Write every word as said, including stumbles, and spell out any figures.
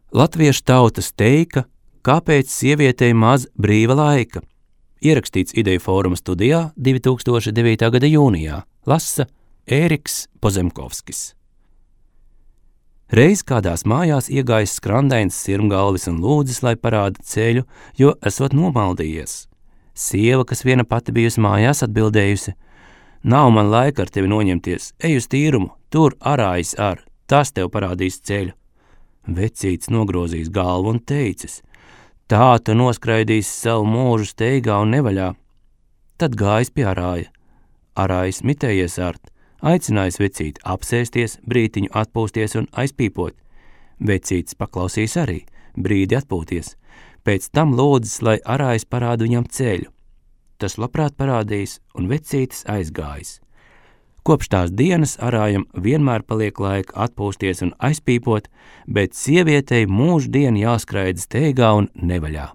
Latviešu tautas teika, kāpēc sievietei maz brīva laika. Ierakstīts Ideju fóruma studijā divi tūkstoši devītā gada jūnijā. Lasa Ēriks Pozemkovskis. Reiz kādās mājās iegājis skrandains sirmgalvis un lūdzis, lai parāda ceļu, jo esot nomaldījies. Sieva, kas viena pati bijusi mājās, atbildējusi: nav man laika ar tevi noņemties, ej uz tīrumu, tur arājis ar, tas tev parādīs ceļu. Vecītis nogrozījis galvu un teicis: tā tu noskraidīsi savu mūžu steigā un nevaļā. Tad gājis pie arāja. Arājis mitējies art, aicinājis vecīti apsēsties, brītiņu atpūsties un aizpīpot. Vecītis paklausīs arī, brīdi atpūties. Pēc tam lūdzis, lai arājis parāda viņam ceļu. Tas labprāt parādījis, un vecītis aizgājis. Kopš tās dienas arājam vienmēr paliek laika atpūsties un aizpīpot, bet sievietei mūždien jāskraida steigā un nevaļā.